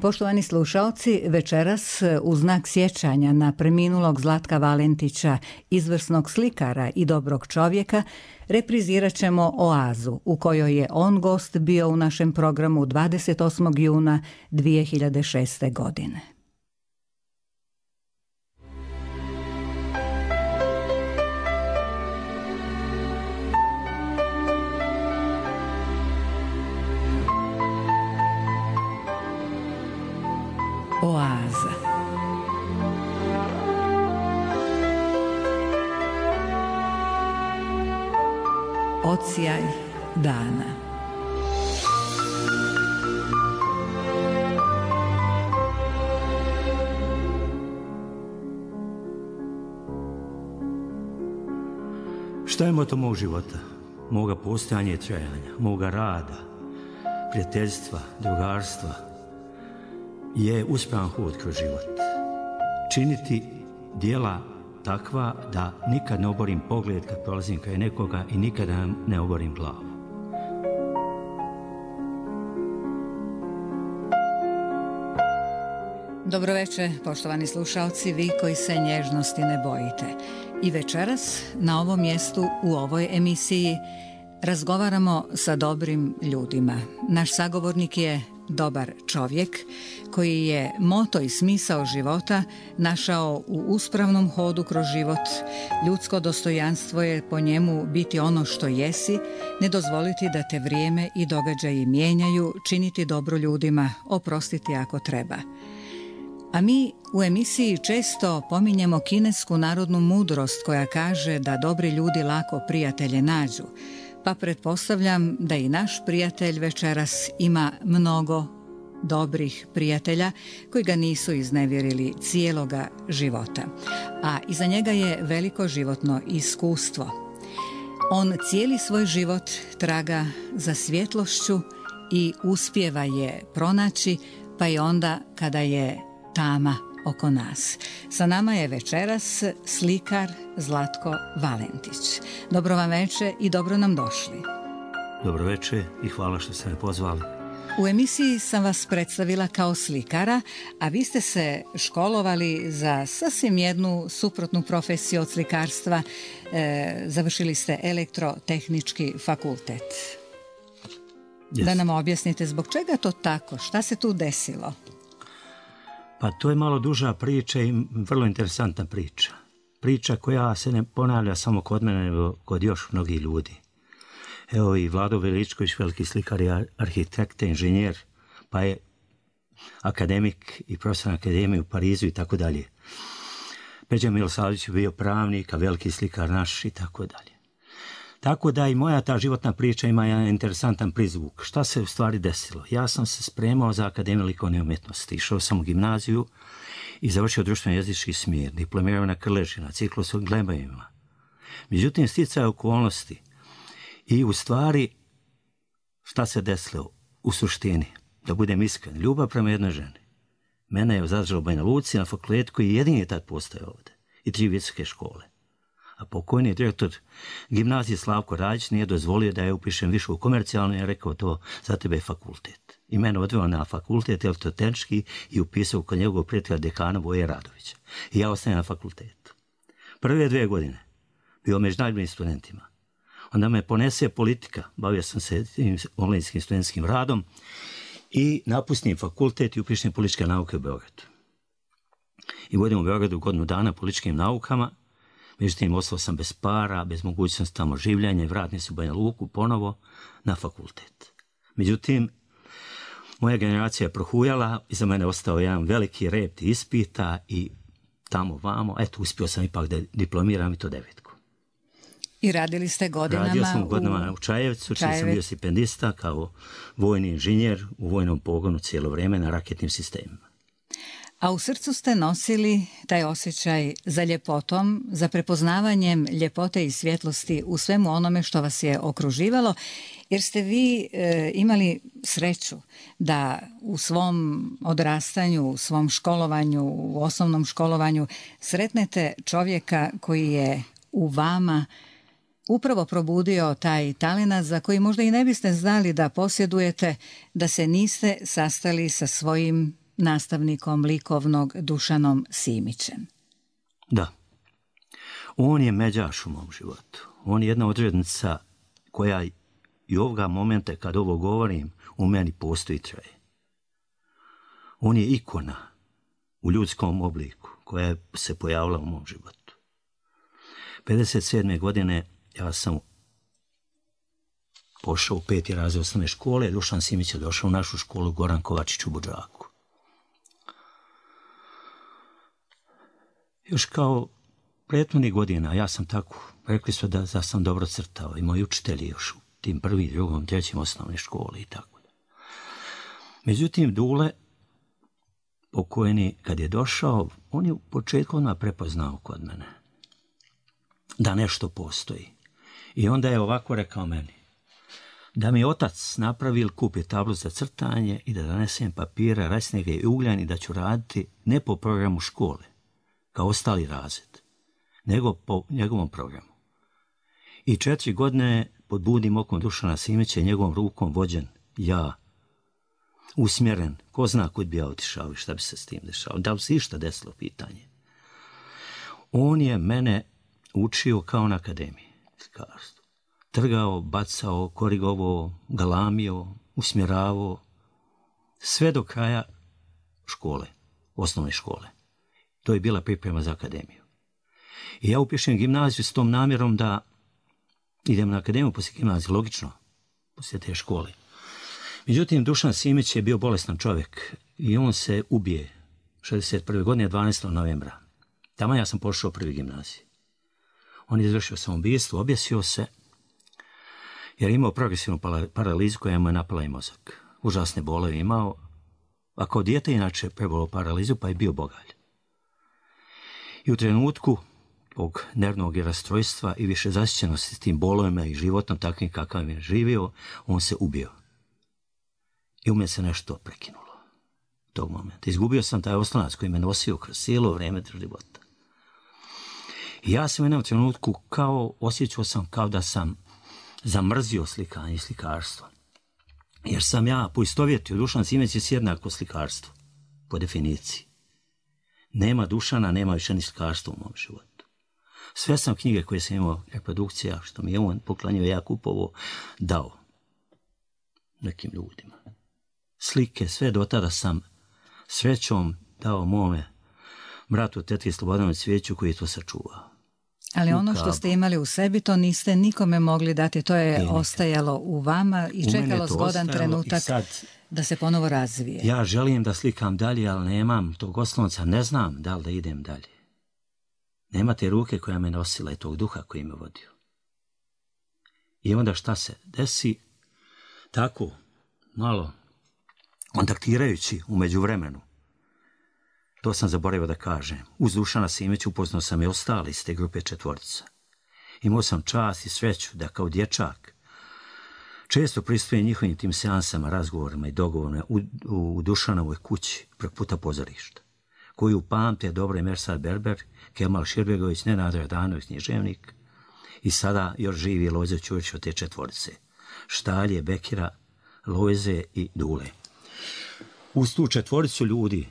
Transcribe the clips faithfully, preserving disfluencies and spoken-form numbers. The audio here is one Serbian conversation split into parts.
Poštovani slušaoci, večeras u znak sjećanja na preminulog Zlatka Valentića, izvrsnog slikara i dobrog čovjeka, reprizirat ćemo Oazu, u kojoj je on gost bio u našem programu dvadeset osmog juna dvije hiljade šeste. godine. Oaza. Odsjaj dana. Šta je moto mog života, moga postojanja i trajanja, moga rada, prijateljstva, drugarstva, je uspravan hod kroz život. Činiti djela takva da nikad ne oborim pogled kad prolazim kraj nekoga i nikada ne oborim glavu. Dobroveče, poštovani slušalci, vi koji se nježnosti ne bojite. I večeras na ovom mjestu u ovoj emisiji razgovaramo sa dobrim ljudima. Naš sagovornik je dobar čovjek koji je moto i smisao života našao u uspravnom hodu kroz život. Ljudsko dostojanstvo je po njemu biti ono što jesi, ne dozvoliti da te vrijeme i događaji mijenjaju, činiti dobro ljudima, oprostiti ako treba. A mi u emisiji često pominjemo kinesku narodnu mudrost koja kaže da dobri ljudi lako prijatelje nađu. Pa pretpostavljam da i naš prijatelj večeras ima mnogo dobrih prijatelja koji ga nisu iznevjerili cijeloga života. A iza njega je veliko životno iskustvo. On cijeli svoj život traga za svjetlošću i uspijeva je pronaći, pa i onda kada je tama oko nas. Sa nama je večeras slikar Zlatko Valentić. Dobro vam veče i dobro nam došli. Dobro veče i hvala što ste me pozvali. U emisiji sam vas predstavila kao slikara, a vi ste se školovali za sasvim jednu suprotnu profesiju od slikarstva. E, završili ste elektrotehnički fakultet. Yes. Da nam objasnite zbog čega to tako, šta se tu desilo? Pa to je malo duža priča i vrlo interesantna priča. Priča koja se ne ponavlja samo kod mene, nego kod još mnogih ljudi. Evo i Vlado Veličković, veliki slikar i arhitekt, inženjer, pa je akademik i profesor akademije u Parizu i tako dalje. Peđa Milosavljević je bio pravnik, a veliki slikar naš i tako dalje. Tako da i moja ta životna priča ima jedan interesantan prizvuk. Šta se u stvari desilo? Ja sam se spremao za Akademiju likovne umjetnosti. Išao sam u gimnaziju i završio društveno jezički smjer. Diplomirao na Krleži, na ciklusu glebajima. Međutim, sticaje okolnosti i u stvari šta se desilo u suštini? Da budem iskren, ljubav prema jednoj ženi. Mene je zadržao u Banja Luci na fakultetu koji jedini je tad postojao ovdje. I tri visoke škole. A pokojni direktor gimnazije Slavko Radić nije dozvolio da ja upišem više u komercijalno i je rekao to za tebe je fakultet. I mene odveo na fakultet elektrotehnički i upisao kod njegovog prijatelja dekana Voje Radovića. I ja ostajem na fakultetu. Prve dvije godine bio među najboljim studentima. Onda me ponese politika, bavio sam se tim onlinskim studentskim radom i napustim fakultet i upišem političke nauke u Beogradu. I vodim u Beogradu godinu dana političkim naukama. Međutim, ostao sam bez para, bez mogućnosti tamo življenja i vratim se u Banja Luku ponovo na fakultet. Međutim, moja generacija je prohujala, iza mene ostao jedan veliki rep ispita i tamo vamo, eto, uspio sam ipak da diplomiram i to devetku. I radili ste godinama Radio sam u godinama u Čajevcu, čiji Čajevac. sam bio stipendista kao vojni inženjer u vojnom pogonu cijelo vrijeme na raketnim sistemima. A u srcu ste nosili taj osjećaj za ljepotom, za prepoznavanjem ljepote i svjetlosti u svemu onome što vas je okruživalo, jer ste vi e, imali sreću da u svom odrastanju, u svom školovanju, u osnovnom školovanju sretnete čovjeka koji je u vama upravo probudio taj talenat za koji možda i ne biste znali da posjedujete, da se niste sastali sa svojim nastavnikom likovnog Dušanom Simićem. Da. On je međaš u mom životu. On je jedna odrednica koja i ovoga momenta kad ovo govorim u meni postoji traje. On je ikona u ljudskom obliku koja je se pojavila u mom životu. pedeset sedme godine ja sam pošao u peti razred osnovne škole, Dušan Simić je došao u našu školu Goran Kovačić u Budžaku. Još kao prethodnih godina, ja sam tako, rekli su da, da sam dobro crtao i moji učitelji još u tim prvi, drugom, trećim osnovne škole i tako da. Međutim, Dule, pokojni, kad je došao, on je u početku odmah prepoznao kod mene da nešto postoji. I onda je ovako rekao meni, da mi otac napravi ili kupi tablu za crtanje i da donesem papira, resnege i ugljan i da ću raditi ne po programu škole, kao ostali razred, nego po njegovom programu. I četiri godine pod budnim okom Dušana Simića, njegovom rukom vođen, ja, usmjeren, ko zna kud bi ja otišao i šta bi se s tim dešao. Da li se išta desilo pitanje? On je mene učio kao na akademiji slikarstvu. Trgao, bacao, korigovao, galamio, usmjeravao, sve do kraja škole, osnovne škole. To je bila priprema za akademiju. I ja upišem gimnaziju s tom namjerom da idem na akademiju poslije gimnazije, logično, poslije te škole. Međutim, Dušan Simić je bio bolestan čovjek i on se ubije šezdeset prve godine, dvanaestog novembra. Tamo ja sam pošao prvi gimnaziji. On je izvršio samoubistvo, objesio se, jer je imao progresivnu paralizu koja mu je napala i mozak. Užasne bolove imao, a kao dijete inače prebolao paralizu, pa je bio bogalj. I u trenutku tog nervnog rastrojstva i više zasićenosti s tim bolovima i životom takvim kakav je živio, on se ubio. I u mene se nešto prekinulo tog momenta. Izgubio sam taj oslonac koji me nosio kroz cijelo vrijeme života. I ja sam u jednom trenutku kao, osjećao sam kao da sam zamrzio slikanje i slikarstvo. Jer sam ja poistovjetio, Dušan Simić je jednako slikarstvo, po definiciji. Nema Dušana, nema više ni slikarstva u mom životu. Sve sam knjige koje sam imao, reprodukcija, što mi je on poklanjio, ja kupovo, dao nekim ljudima. Slike, sve do tada sam srećom dao mome bratu tetri Slobodanu Cvijeću koji je to sačuvao. Ali ono što ste imali u sebi, to niste nikome mogli dati, to je Nije ostajalo nikad. U vama i u čekalo zgodan trenutak sad, da se ponovo razvije. Ja želim da slikam dalje, ali nemam tog oslonca, ne znam da li da idem dalje. Nema te ruke koja me nosila i tog duha koji me vodio. I onda šta se desi? Tako, malo kontaktirajući u međuvremenu, to sam zaboravio da kažem, uz Dušana Simića upoznao sam i ostali iz te grupe četvorica. Imao sam čast i sreću da kao dječak često pristupujem njihovim tim seansama, razgovorima i dogovorima u, u Dušanovoj kući preko puta pozorišta, koju pamte dobro i Mersad Berber, Kemal Širbegović, Nenad Radanović, književnik, i sada još živi Lojze Ćurić od te četvorice, Štalje, Bekira, Lojze i Dule. Uz tu četvoricu ljudi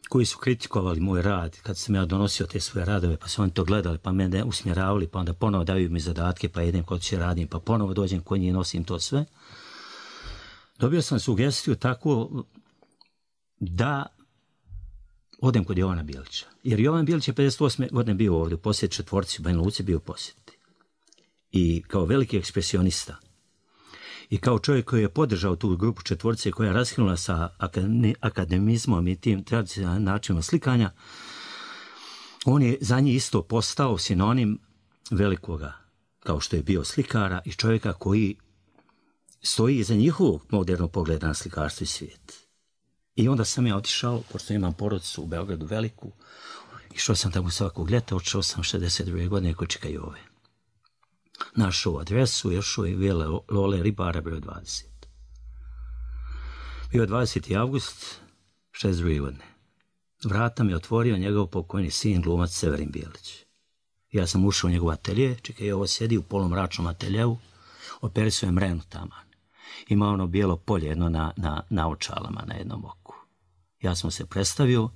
koji su kritikovali moj rad, kad sam ja donosio te svoje radove, pa su oni to gledali, pa mene usmjeravali, pa onda ponovo daju mi zadatke, pa idem kod će radim, pa ponovo dođem kod njih i nosim to sve. Dobio sam sugestiju tako da odem kod Jovana Bilića. Jer Jovan Bilić je pedeset osme godine bio ovdje u posjeti četvorci, u Banja Luci bio u posjeti. I kao veliki ekspresionista i kao čovjek koji je podržao tu grupu četvorce koja je raskinula sa akademizmom i tim tradicionalnim načinom slikanja, on je za njih isto postao sinonim velikoga, kao što je bio slikara i čovjeka koji stoji iza njihovog modernog pogleda na slikarstvo i svijet. I onda sam ja otišao, pošto imam porodicu u Beogradu veliku, išao sam tamo svakog ljeta, otišao sam šezdeset druge godine kod Čika Jove. Našao adresu, još je Vile Lole Ribara, broj dvadeset. Bio dvadeseti avgust šezdeset druge godine. Vrata mi je otvorio njegov pokojni sin, glumac Severin Bijelić. Ja sam ušao u njegov atelje, Čika Jovo sjedi u polumračnom ateljevu, operisuje mrenu taman. Ima ono bijelo polje jedno na, na, na očalama, na jednom oku. Ja sam se predstavio,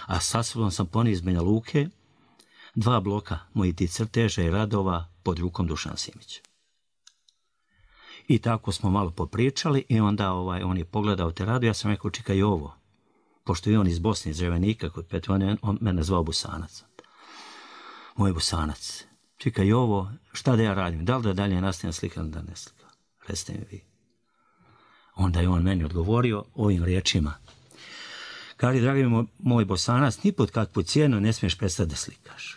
a sa sobom sam ponio iz Banja Luke dva bloka mojih ti crteža i radova pod rukom Dušana Simića. I tako smo malo popričali i onda ovaj, on je pogledao te rado, ja sam rekao, čekaj ovo, pošto je on iz Bosne, iz Drevenika, kod Petra, on, je, on mene zvao Bosanac. Moj Bosanac, čekaj ovo, šta da ja radim, da li da dalje nastavim slikam, da ne slikam, recite mi vi. Onda je on meni odgovorio ovim riječima. Kaže, dragi moj, moj Bosanac, ni pod kakvu cijenu ne smiješ prestati da slikaš.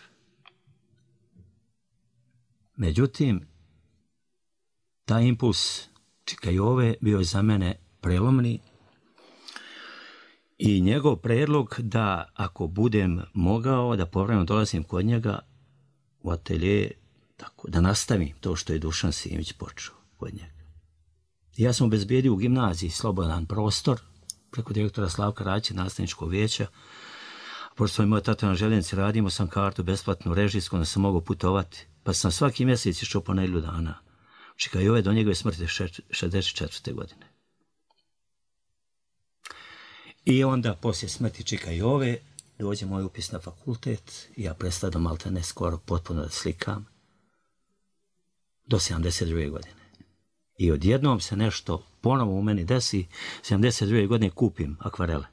Međutim, taj impuls Čikajove bio je za mene prelomni i njegov predlog da ako budem mogao da povremeno dolazim kod njega u atelje, tako, da nastavim to što je Dušan Simić počeo kod njega. Ja sam obezbijedio u gimnaziji slobodan prostor preko direktora Slavka Rajića, nastavničkog vijeća. Pošto je moj tata na željeznici radio, imao sam kartu besplatnu režijsku, onda sam mogao putovati. Pa sam svaki mjesec išao po nedjelju dana. Čikajove do njegove smrti šezdeset četvrte godine. I onda poslije smrti Čikajove dođe moj upis na fakultet i ja prestadam malte ne skoro potpuno da slikam do sedamdeset druge godine. I odjednom se nešto ponovo u meni desi, sedamdeset druge godine kupim akvarele.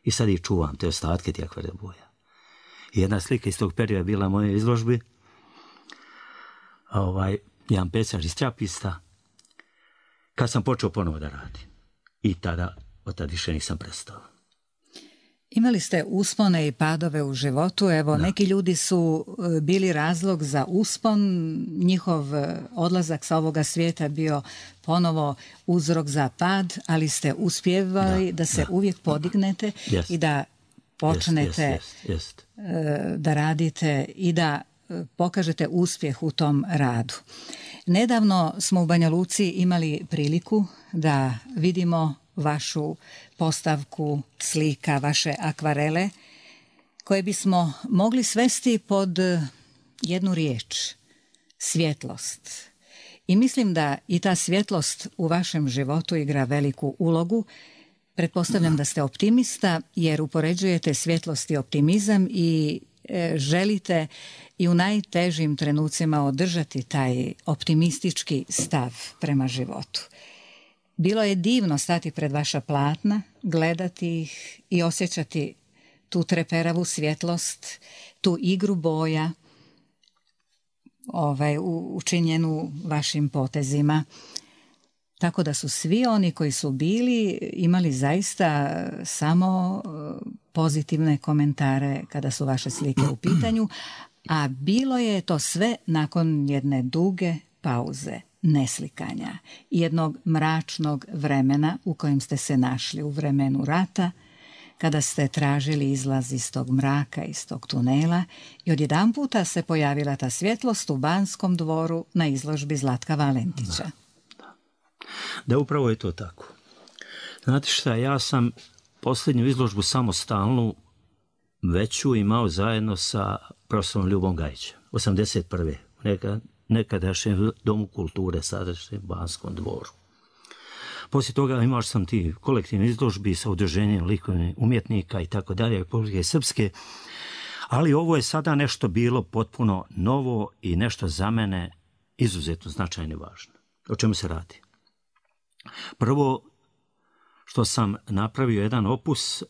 I sad ih čuvam, te ostatke ti akvarele boja. I jedna slika iz tog perioda je bila u mojoj izložbi. Ovaj, jedan pecaž iz Trapista. Kad sam počeo ponovo da radim. I tada, od tada više nisam prestao. Imali ste uspone i padove u životu. Evo, da. Neki ljudi su bili razlog za uspon. Njihov odlazak sa ovoga svijeta bio ponovo uzrok za pad, ali ste uspjevali da, da se da, uvijek podignete yes. i da počnete yes, yes, yes, yes. da radite i da pokažete uspjeh u tom radu. Nedavno smo u Banja Luci imali priliku da vidimo vašu postavku slika, vaše akvarele, koje bismo mogli svesti pod jednu riječ, svjetlost. I mislim da i ta svjetlost u vašem životu igra veliku ulogu. Pretpostavljam da ste optimista, jer upoređujete svjetlost i optimizam i e, želite i u najtežim trenucima održati taj optimistički stav prema životu. Bilo je divno stati pred vaša platna, gledati ih i osjećati tu treperavu svjetlost, tu igru boja, ovaj, učinjenu vašim potezima. Tako da su svi oni koji su bili imali zaista samo pozitivne komentare kada su vaše slike u pitanju, a bilo je to sve nakon jedne duge pauze, neslikanja, jednog mračnog vremena u kojem ste se našli u vremenu rata, kada ste tražili izlaz iz tog mraka, iz tog tunela, i odjedanputa se pojavila ta svjetlost u Banskom dvoru na izložbi Zlatka Valentića. Da, da. da upravo je to tako. Znate šta, ja sam posljednju izložbu samostalnu veću imao zajedno sa profesorom Ljubom Gajićem, osamdeset prve Neka, nekadašnjem Domu kulture, sadašnjem Banskom dvoru. Poslije toga imao sam ti kolektivne izložbi sa udruženjem likovnih umjetnika i tako dalje, Republike Srpske, ali ovo je sada nešto bilo potpuno novo i nešto za mene izuzetno značajno i važno. O čemu se radi? Prvo, što sam napravio jedan opus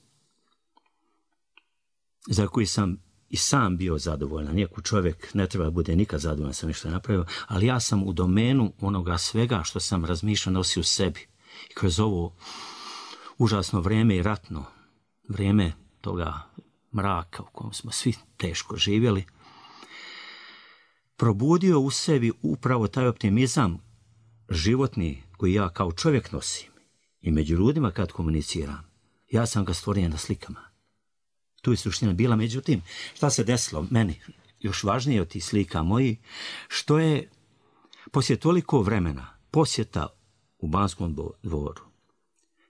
za koji sam i sam bio zadovoljan. Nijako čovjek ne treba bude nikad zadovoljan sam nešto napravio, ali ja sam u domenu onoga svega što sam razmišljao nosio u sebi. I kroz ovo užasno vrijeme i ratno vrijeme toga mraka u kojem smo svi teško živjeli, probudio u sebi upravo taj optimizam životni koji ja kao čovjek nosim. I među ljudima kad komuniciram, ja sam ga stvorio na slikama. Tu je suština bila. Međutim, šta se desilo meni, još važnije od tih slika moji, što je poslije toliko vremena posjeta u Banskom dvoru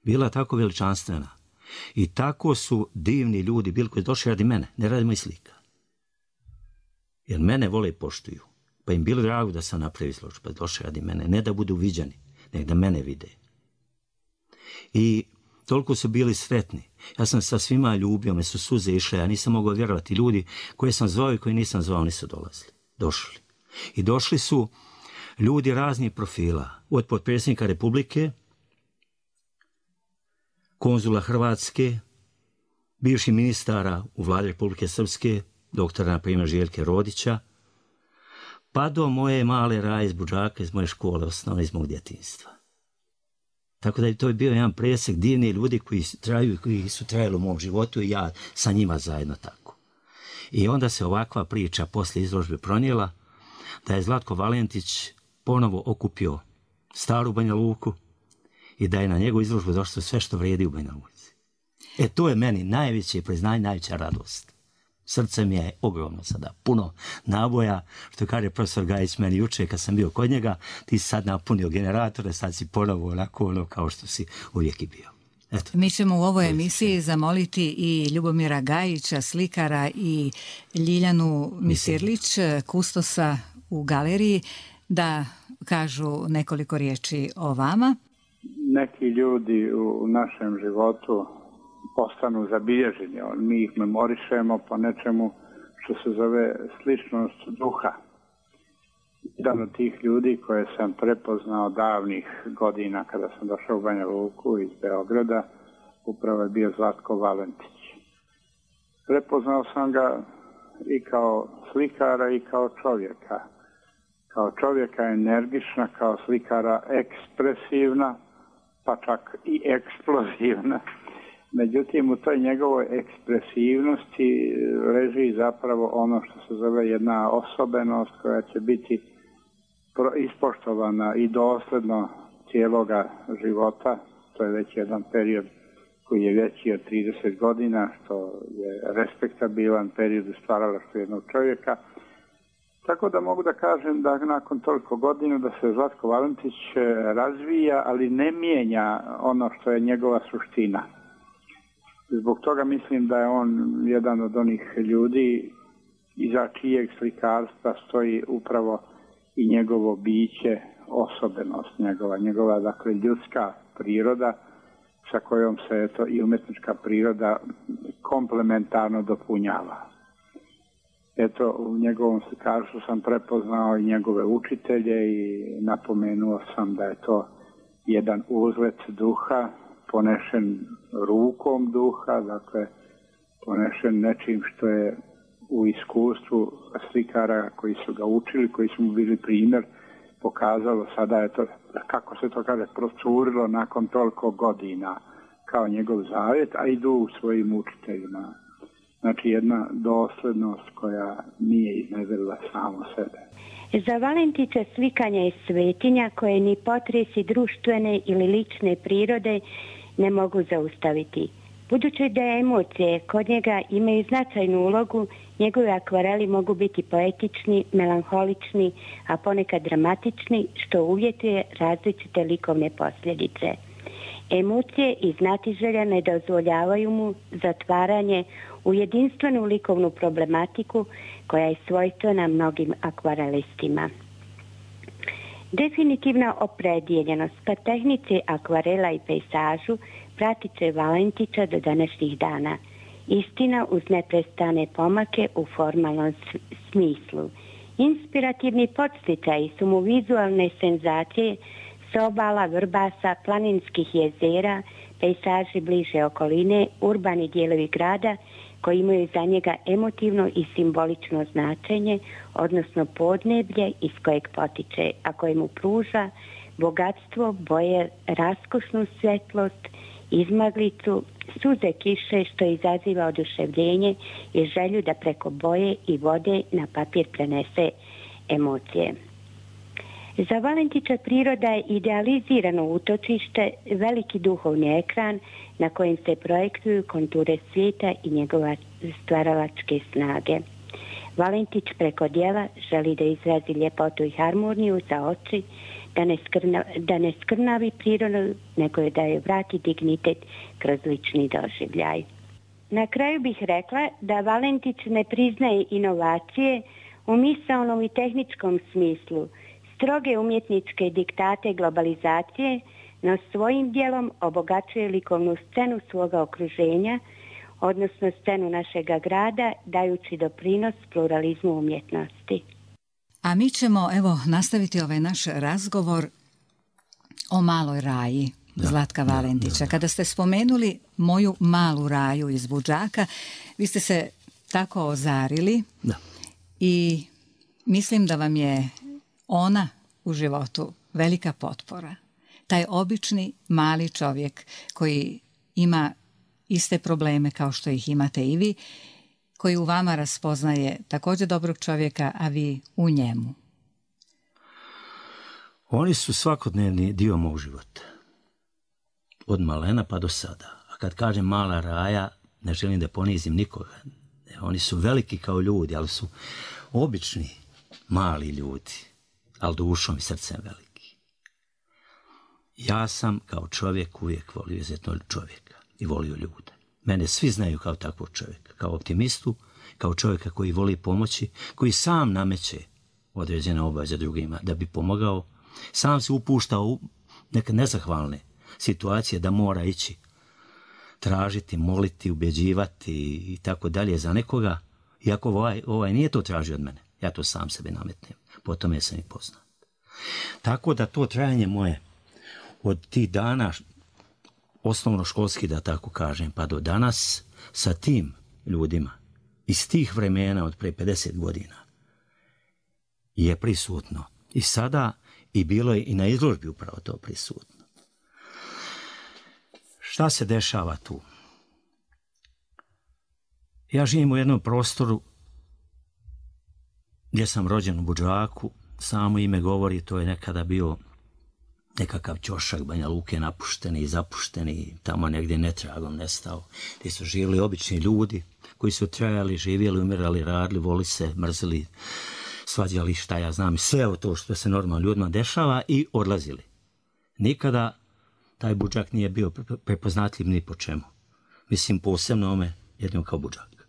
bila tako veličanstvena i tako su divni ljudi bili koji došli radi mene, ne radi mojih slika. Jer mene vole i poštuju. Pa im bilo drago da sam napravio izložbu, pa došli radi mene, ne da budu viđani, nego da mene vide. I toliko su bili sretni. Ja sam sa svima ljubio, me su suze išle, ja nisam mogao vjerovati. Ljudi koje sam zvao i koje nisam zvao nisu dolazili. Došli. I došli su ljudi raznih profila. Od potpredsjednika Republike, konzula Hrvatske, bivši ministara u vladi Republike Srpske, doktora, na primjer, Željke Rodića, pa do moje male Raje iz Budžaka, iz moje škole, osnovne, iz mog djetinjstva. Tako da je to bio jedan presjek divni ljudi koji traju, koji su trajali u mom životu i ja sa njima zajedno tako. I onda se ovakva priča posle izložbe pronijela da je Zlatko Valentić ponovo okupio staru Banja Luku i da je na njegovu izložbu došlo sve što vrijedi u Banja Luci. E to je meni najveće priznanje, najveća radost. Srce mi je ogromno sada, puno naboja, što kaže profesor Gajić meni juče kad sam bio kod njega, ti si sad napunio generatore, sad si ponovo onako ono kao što si uvijek i bio. Eto. Mi ćemo u ovoj emisiji zamoliti i Ljubomira Gajića, slikara, i Ljiljanu Misirlić, kustosa u galeriji, da kažu nekoliko riječi o vama. Neki ljudi u našem životu postanu zabilježeni. Mi ih memorišemo po nečemu što se zove sličnost duha. Jedan od tih ljudi koje sam prepoznao davnih godina kada sam došao u Banja Luku iz Beograda, upravo je bio Zlatko Valentić. Prepoznao sam ga i kao slikara i kao čovjeka. Kao čovjeka energična, kao slikara ekspresivna, pa čak i eksplozivna. Međutim, u toj njegovoj ekspresivnosti leži zapravo ono što se zove jedna osobenost koja će biti ispoštovana i dosledno cijeloga života. To je već jedan period koji je veći od trideset godina, što je respektabilan period u stvaralaštvu jednog čovjeka. Tako da mogu da kažem da nakon toliko godina da se Zlatko Valentić razvija, ali ne mijenja ono što je njegova suština. Zbog toga mislim da je on jedan od onih ljudi iza čijeg slikarstva stoji upravo i njegovo biće, osobenost njegova, njegova dakle ljudska priroda sa kojom se eto, i umetnička priroda komplementarno dopunjava. Eto, u njegovom slikarstvu sam prepoznao i njegove učitelje i napomenuo sam da je to jedan uzlet duha, ponešen rukom duha, dakle ponešen nečim što je u iskustvu slikara koji su ga učili, koji su mu bili primjer, pokazalo sada je to, kako se to kaže, procurilo nakon toliko godina kao njegov zavjet, a idu u svojim učiteljima. Znači jedna doslednost koja nije iznedrila samo sebe. Za Valentića slikanje je svetinja koje ni potresi društvene ili lične prirode ne mogu zaustaviti. Budući da emocije kod njega imaju značajnu ulogu, njegovi akvareli mogu biti poetični, melanholični, a ponekad dramatični, što uvjetuje različite likovne posljedice. Emocije i znatiželja ne dozvoljavaju mu zatvaranje u jedinstvenu likovnu problematiku koja je svojstvena mnogim akvarelistima. Definitivna opredjeljenost ka tehnici akvarela i pejsažu pratit će Valentića do današnjih dana. Istina uz neprestane pomake u formalnom smislu. Inspirativni podsticaji su mu vizualne senzacije s obala, vrbasa, planinskih jezera, pejsaži bliže okoline, urbani dijelovi grada koji imaju za njega emotivno i simbolično značenje, odnosno podneblje iz kojeg potiče, a koje mu pruža bogatstvo, boje, raskošnu svjetlost, izmaglicu, suze kiše što izaziva oduševljenje i želju da preko boje i vode na papir prenese emocije. Za Valentića priroda je idealizirano utočište, veliki duhovni ekran na kojem se projektuju konture svijeta i njegova stvaralačke snage. Valentić preko djela želi da izrazi ljepotu i harmoniju za oči, da ne, skrna, da ne skrnavi prirodu, nego da joj vrati dignitet kroz lični doživljaj. Na kraju bih rekla da Valentić ne priznaje inovacije u misaonom i tehničkom smislu, stroge umjetničke diktate globalizacije, no svojim dijelom obogaćuje likovnu scenu svoga okruženja, odnosno scenu našega grada, dajući doprinos pluralizmu umjetnosti. A mi ćemo, evo, nastaviti ovaj naš razgovor o Maloj Raji, da, Zlatka Valentića. Da, da, da. Kada ste spomenuli moju malu Raju iz Budžaka, vi ste se tako ozarili da. I mislim da vam je ona u životu velika potpora. Taj obični mali čovjek koji ima iste probleme kao što ih imate i vi, koji u vama raspoznaje također dobrog čovjeka, a vi u njemu. Oni su svakodnevni dio mog života. Od malena pa do sada. A kad kažem mala Raja, ne želim da ponizim nikoga. Oni su veliki kao ljudi, ali su obični mali ljudi, ali dušom i srcem veliki. Ja sam kao čovjek uvijek volio izuzetno čovjeka i volio ljude. Mene svi znaju kao takvog čovjeka, kao optimistu, kao čovjeka koji voli pomoći, koji sam nameće određene obaveze drugima da bi pomogao. Sam se upušta u neke nezahvalne situacije da mora ići tražiti, moliti, ubjeđivati i tako dalje za nekoga, iako ovaj, ovaj nije to tražio od mene. Ja to sam sebe nametnem. Po tome sam i poznat. Tako da to trajanje moje od tih dana, osnovnoškolski da tako kažem, pa do danas, sa tim ljudima iz tih vremena od pre pedeset godina je prisutno. I sada i bilo je i na izložbi upravo to prisutno. Šta se dešava tu? Ja živim u jednom prostoru gdje sam rođen u Budžaku. Samo ime govori, to je nekada bio nekakav ćošak Banja Luke, napušteni i zapušteni, tamo negdje netragom nestao, gdje su živjeli obični ljudi koji su trajali, živjeli, umirali, radili, voli se, mrzili, svađali, šta ja znam, sve to što se normalno ljudima dešava i odlazili. Nikada taj Budžak nije bio prepoznatljiv ni po čemu. Mislim, posebno ome jednom kao Budžak.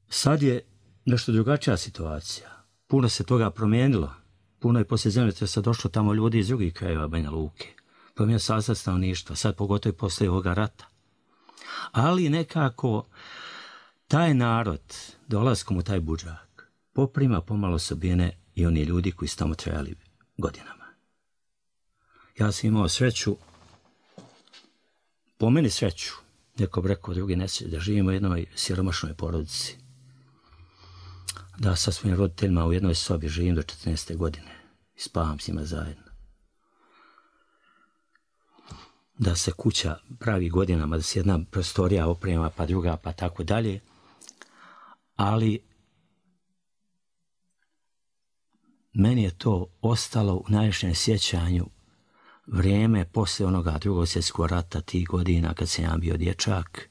Sad je nešto drugačija situacija. Puno se toga promijenilo. Puno je poslije zemljotresa došlo tamo ljudi iz drugih krajeva Banja Luke. Promijenio sastav stanovništva, sad pogotovo i poslije ovoga rata. Ali nekako taj narod, dolaskom u taj Budžak, poprima pomalo osobine i oni ljudi koji su tamo trajali godinama. Ja sam imao sreću, po meni sreću, neko bi rekao drugi nesreći, da živimo u jednoj siromašnoj porodici. Da sa svojim roditeljima u jednoj sobi živim do četrnaeste godine i spavam s njima zajedno. Da se kuća pravi godinama, da se jedna prostorija oprema, pa druga, pa tako dalje. Ali meni je to ostalo u najvišem sjećanju vrijeme poslije onoga drugog svjetskog rata, tih godina kad sam ja bio dječak,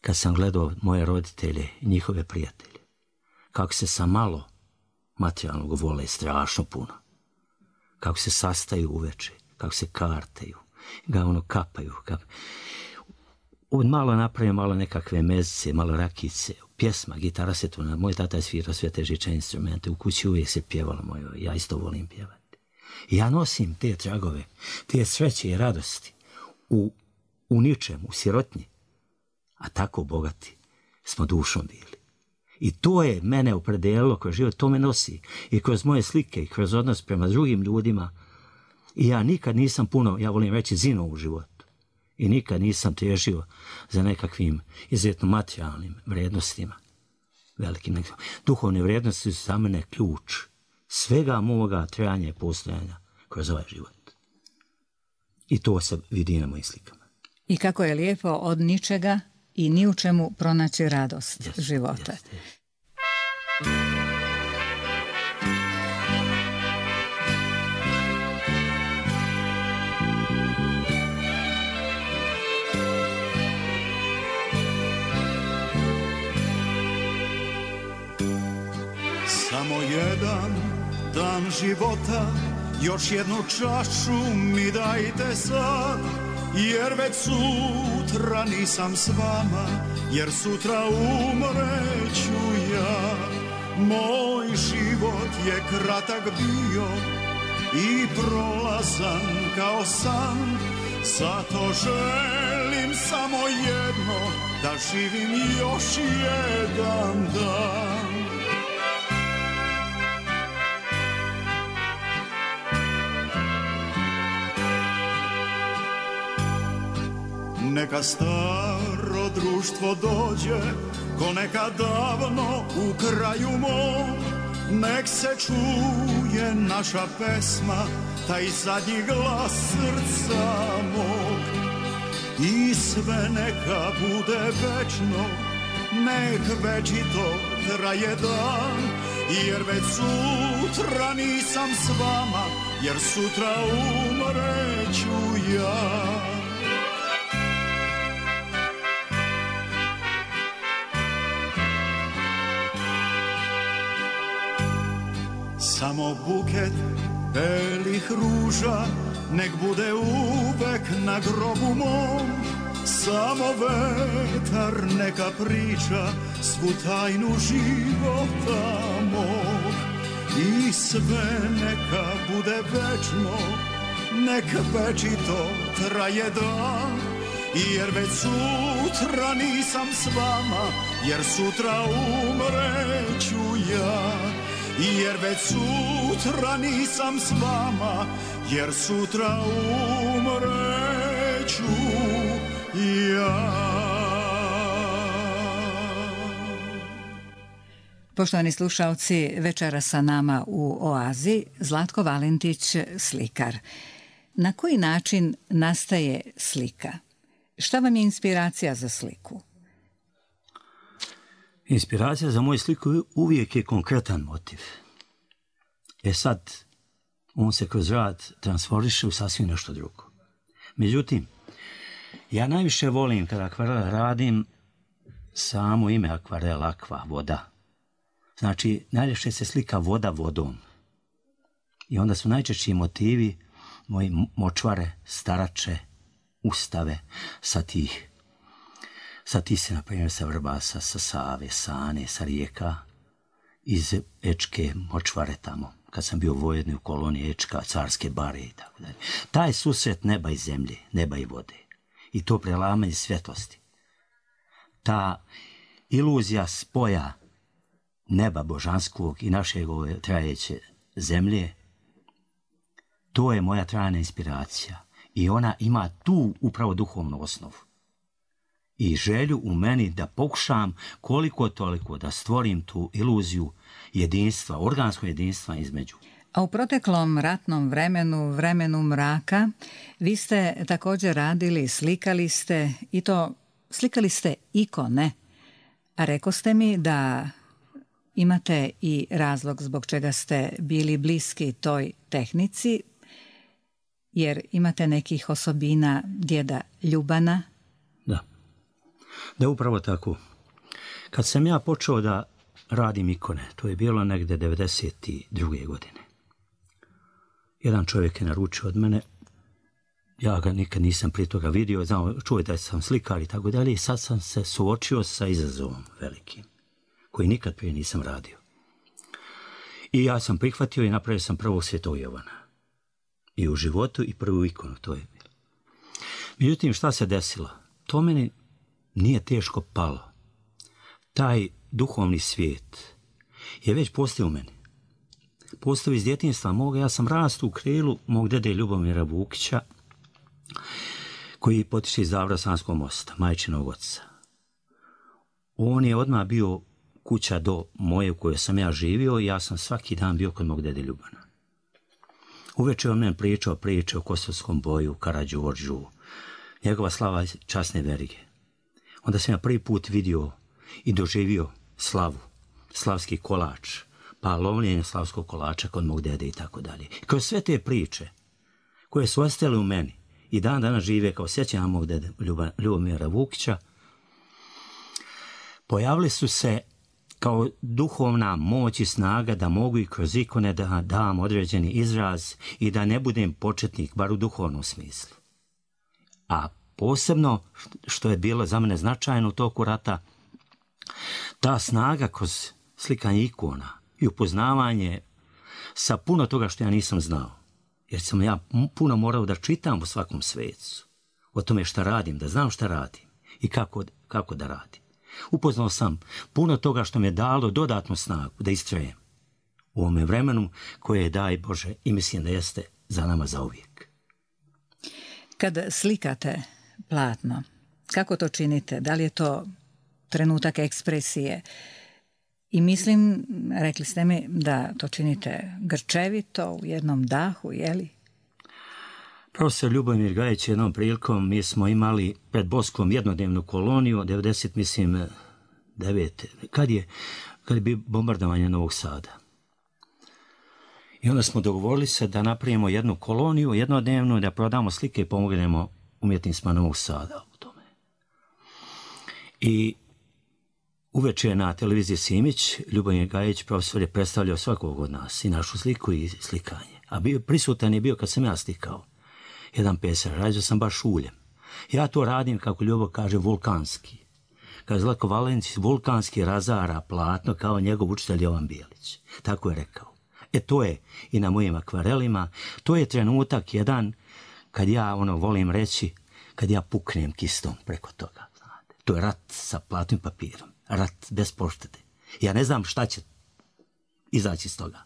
kad sam gledao moje roditelje i njihove prijatelje. Kako se sa malo materijalnog vole strašno puno. Kako se sastaju uveče, kako se kartaju, ga ono kapaju. Kap... Od malo napravim malo nekakve mezice, malo rakice, pjesma, gitara se tu, moj tata je svirao sve te žičane instrumente, u kući uvijek se pjevalo moje, ja isto volim pjevati. I ja nosim te tragove, te sreće i radosti u, u ničem, u sirotnji, a tako bogati smo dušom bili. I to je mene opredelilo kroz život, to me nosi i kroz moje slike i kroz odnos prema drugim ljudima. I ja nikad nisam puno, ja volim reći, zinuo u životu. I nikad nisam težio za nekakvim izuzetno materijalnim vrijednostima. Velikim. Duhovne vrijednosti su za mene ključ svega moga trajanja i postojanja kroz ovaj život. I to se vidi na mojim slikama. I kako je lijepo od ničega i ni u čemu pronaći radost yes, života. Yes, yes. Samo jedan dan života, još jednu čašu mi dajte sad, jer već sutra nisam s vama, jer sutra umreću ja. Moj život je kratak bio, i prolazan kao san. Zato želim samo jedno, da živim još jedan dan. Neka staro društvo dođe, ko neka davno u kraju mom. Nek se čuje naša pesma, taj zadnji glas srca mog. I sve neka bude večno, nek večito traje dan. Jer već sutra nisam s vama, jer sutra umreću ja. Samo buket belih ruža nek bude uvek na grobu mom. Samo vetar neka priča svu tajnu života mog. I sve neka bude večno, nek večito traje dan. Jer već sutra nisam s vama, jer sutra umreću ja. Jer već sutra nisam s vama, jer sutra umreću ja. Poštovani slušalci, večera sa nama u Oazi Zlatko Valentić, slikar. Na koji način nastaje slika? Šta vam je inspiracija za sliku? Inspiracija za moju sliku uvijek je konkretan motiv. E sad, on se kroz rad transformiše u sasvim nešto drugo. Međutim, ja najviše volim kada akvarel radim samo ime akvarel, akva, voda. Znači, najljepše se slika voda vodom. I onda su najčešći motivi moji močvare, starače, ustave sa tih Sa ti se, na primjer, sa Vrbasa, sa Save, Sane, sa rijeka, iz Ečke močvare tamo, kad sam bio vojedni u koloniji Ečka, Carske bare i tako dalje. Taj susret neba i zemlje, neba i vode. I to prelamanje svjetlosti. Ta iluzija spoja neba božanskog i našeg ove trajeće zemlje, to je moja trajna inspiracija. I ona ima tu upravo duhovnu osnovu. I želju u meni da pokušam koliko toliko da stvorim tu iluziju jedinstva, organskog jedinstva između. A u proteklom ratnom vremenu, vremenu mraka, vi ste također radili, slikali ste, i to slikali ste ikone. A rekoste mi da imate i razlog zbog čega ste bili bliski toj tehnici, jer imate nekih osobina djeda Ljubana. Da. Da, upravo tako. Kad sam ja počeo da radim ikone, to je bilo negde devedeset druge godine. Jedan čovjek je naručio od mene, ja ga nikad nisam prije toga vidio, znao, čuo da sam slikar i tako dalje, i sad sam se suočio sa izazovom velikim, koji nikad prije nisam radio. I ja sam prihvatio i napravio sam prvog Svetog Jovana. I u životu i prvu ikonu, to je bilo. Međutim, šta se desilo? To meni nije teško palo. Taj duhovni svijet je već postao u meni. Postao iz djetinjstva moga. Ja sam rastu u krilu mog dede Ljubomira Vukića, koji potiče iz Davra Sanskog mosta, majčinog oca. On je odmah bio kuća do moje u kojoj sam ja živio i ja sam svaki dan bio kod mog dede Ljubana. Uveče on meni pričao priče o Kosovskom boju, Karađorđu, njegova slava časne verige. Onda sam ja prvi put vidio i doživio slavu, slavski kolač, pa lovljenje slavskog kolača kod mog dede i tako dalje. Kroz sve te priče koje su ostale u meni i dan danas žive kao sjećanja mog dede Ljubomira Vukića, pojavili su se kao duhovna moć i snaga da mogu i kroz ikone da dam određeni izraz i da ne budem početnik, bar u duhovnom smislu. A posebno, što je bilo za mene značajno u toku rata, ta snaga kroz slikanje ikona i upoznavanje sa puno toga što ja nisam znao. jer sam ja puno morao da čitam u svakom svecu, o tome šta radim, da znam šta radim i kako, kako da radim. Upoznao sam puno toga što mi je dalo dodatnu snagu da istrajem u ovome vremenu koje je, daj Bože, i mislim da jeste za nama zauvijek. Kad slikate platno, kako to činite? Da li je to trenutak ekspresije? I mislim, rekli ste mi da to činite grčevito, u jednom dahu, je li? Profesor Ljubomir Gajić jednom prilikom, mi smo imali pred Boskom jednodnevnu koloniju, devedeset, mislim, devete, kad je, kad je bio bombardovanje Novog Sada. I onda smo dogovorili se da napravimo jednu koloniju, jednodnevnu, da prodamo slike i pomognemo umjetnicima Novog Sada u tome. I uveče na televiziji Simić, Ljubomir Gajić, profesor, je predstavljao svakog od nas, i našu sliku i slikanje. A bio, prisutan je bio kad sam ja slikao. Jedan peser, rađao sam baš uljem. Ja to radim, kako Ljubo kaže, vulkanski. Kad Zlatko Valentić vulkanski razara platno kao njegov učitelj Jovan Bijelić. Tako je rekao. E to je i na mojim akvarelima, to je trenutak jedan kad ja ono volim reći, kad ja puknem kistom preko toga. Znate. To je rat sa platnim papirom, rat bez poštede. Ja ne znam šta će izaći iz toga,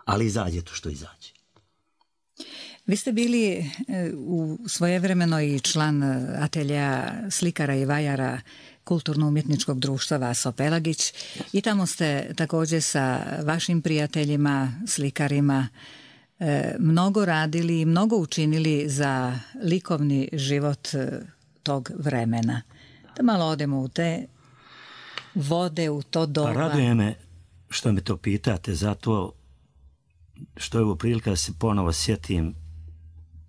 ali izađe to što izađe. Vi ste bili u svojevremeno i član ateljeja slikara i vajara Kulturno-umjetničkog društva Vaso Pelagić i tamo ste također sa vašim prijateljima, slikarima, mnogo radili i mnogo učinili za likovni život tog vremena. Da malo odemo u te vode, u to doba. Pa raduje me što me to pitate, zato što je ovo prilika da se ponovo sjetim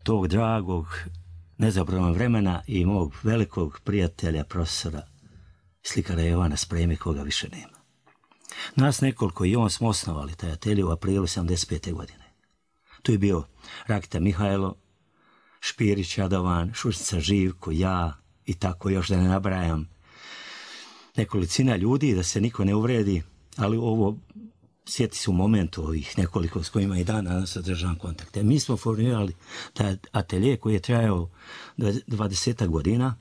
tog dragog, nezaboravnog vremena i mog velikog prijatelja, profesora, slikara Jovana Spreme, koga više nema. Nas nekoliko i on smo osnovali taj atelje u aprilu sedamdeset pete. godine. Tu je bio Rakita Mihajlo, Špirić Radovan, Šušnica Živko, ja i tako još da ne nabrajam. Nekolicina ljudi, da se niko ne uvredi, ali ovo sjeti se u momentu ovih nekoliko s kojima i dan danas održavam kontakte. Mi smo formirali taj atelje koji je trajao dvadeset godina.